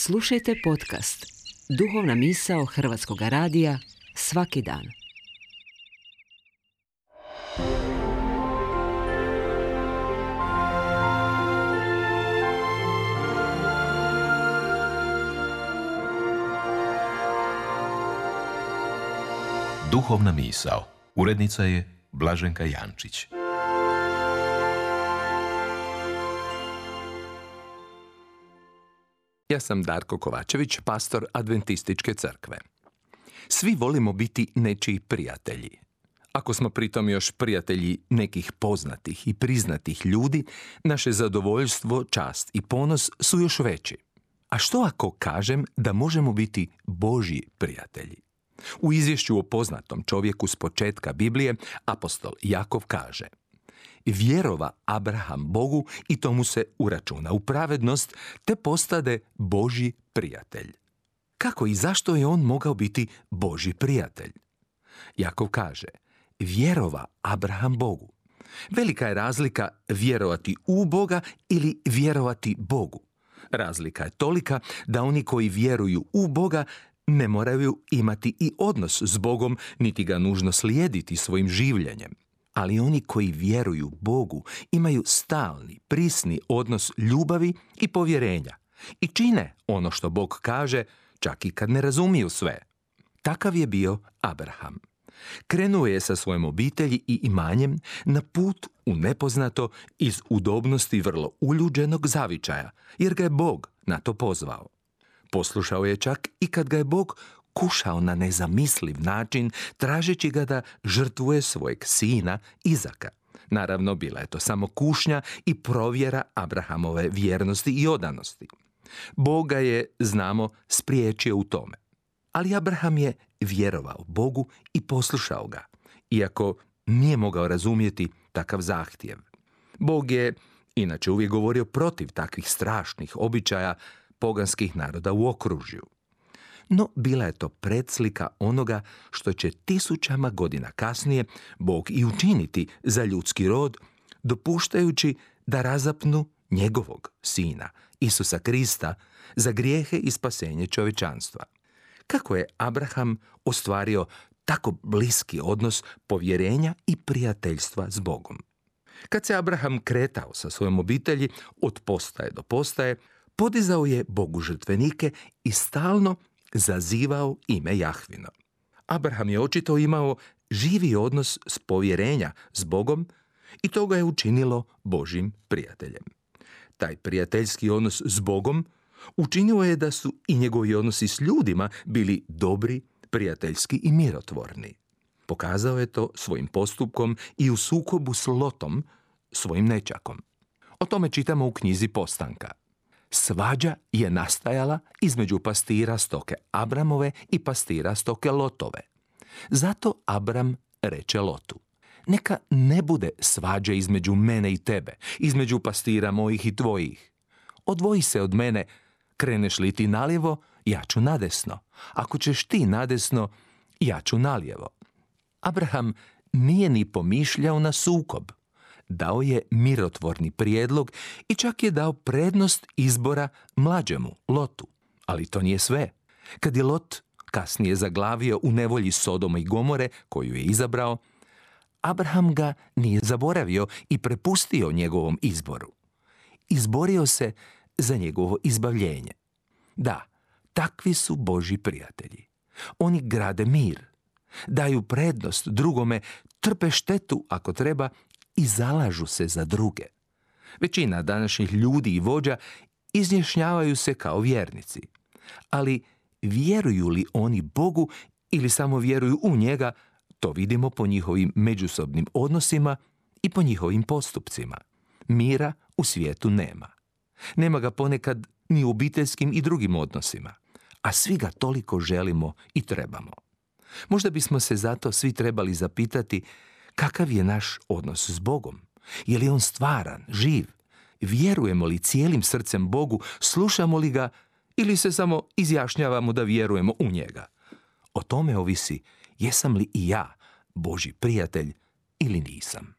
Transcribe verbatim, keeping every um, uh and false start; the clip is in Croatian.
Slušajte podcast Duhovna misao Hrvatskog radija svaki dan. Duhovna misao. Urednica je Blaženka Jančić. Ja sam Darko Kovačević, pastor Adventističke crkve. Svi volimo biti nečiji prijatelji. Ako smo pritom još prijatelji nekih poznatih i priznatih ljudi, naše zadovoljstvo, čast i ponos su još veći. A što ako kažem da možemo biti Božji prijatelji? U izvješću o poznatom čovjeku s početka Biblije, apostol Jakov kaže: vjerova Abraham Bogu i to mu se uračuna u pravednost, te postade Božji prijatelj. Kako i zašto je on mogao biti Božji prijatelj? Jakov kaže: vjerova Abraham Bogu. Velika je razlika vjerovati u Boga ili vjerovati Bogu. Razlika je tolika da oni koji vjeruju u Boga ne moraju imati i odnos s Bogom, niti ga nužno slijediti svojim življenjem. Ali oni koji vjeruju Bogu imaju stalni, prisni odnos ljubavi i povjerenja i čine ono što Bog kaže, čak i kad ne razumiju sve. Takav je bio Abraham. Krenuo je sa svojom obitelji i imanjem na put u nepoznato iz udobnosti vrlo uljuđenog zavičaja, jer ga je Bog na to pozvao. Poslušao je čak i kad ga je Bog kušao na nezamisliv način, tražeći ga da žrtvuje svojeg sina Izaka. Naravno, bila je to samo kušnja i provjera Abrahamove vjernosti i odanosti. Bog ga je, znamo, spriječio u tome. Ali Abraham je vjerovao Bogu i poslušao ga, iako nije mogao razumjeti takav zahtjev. Bog je inače uvijek govorio protiv takvih strašnih običaja poganskih naroda u okružju. No, bila je to predslika onoga što će tisućama godina kasnije Bog i učiniti za ljudski rod, dopuštajući da razapnu njegovog sina, Isusa Krista, za grijehe i spasenje čovječanstva. Kako je Abraham ostvario tako bliski odnos povjerenja i prijateljstva s Bogom? Kad se Abraham kretao sa svojom obitelji od postaje do postaje, podizao je Bogu žrtvenike i stalno zazivao ime Jahvino. Abraham je očito imao živi odnos s povjerenja s Bogom i to ga je učinilo Božjim prijateljem. Taj prijateljski odnos s Bogom učinio je da su i njegovi odnosi s ljudima bili dobri, prijateljski i mirotvorni. Pokazao je to svojim postupkom i u sukobu s Lotom, svojim nećakom. O tome čitamo u knjizi Postanka. Svađa je nastajala između pastira stoke Abramove i pastira stoke Lotove. Zato Abram reče Lotu: neka ne bude svađe između mene i tebe, između pastira mojih i tvojih. Odvoji se od mene, kreneš li ti nalijevo, ja ću nadesno. Ako ćeš ti nadesno, ja ću nalijevo. Abraham nije ni pomišljao na sukob. Dao je mirotvorni prijedlog i čak je dao prednost izbora mlađemu, Lotu. Ali to nije sve. Kad je Lot kasnije zaglavio u nevolji Sodoma i Gomore, koju je izabrao, Abraham ga nije zaboravio i prepustio njegovom izboru. Izborio se za njegovo izbavljenje. Da, takvi su Božji prijatelji. Oni grade mir, daju prednost drugome, trpe štetu ako treba i zalažu se za druge. Većina današnjih ljudi i vođa izjašnjavaju se kao vjernici. Ali vjeruju li oni Bogu ili samo vjeruju u njega, to vidimo po njihovim međusobnim odnosima i po njihovim postupcima. Mira u svijetu nema. Nema ga ponekad ni u obiteljskim i drugim odnosima, a svi ga toliko želimo i trebamo. Možda bismo se zato svi trebali zapitati kakav je naš odnos s Bogom. Je li on stvaran, živ? Vjerujemo li cijelim srcem Bogu, slušamo li ga ili se samo izjašnjavamo da vjerujemo u njega? O tome ovisi jesam li i ja Božji prijatelj ili nisam.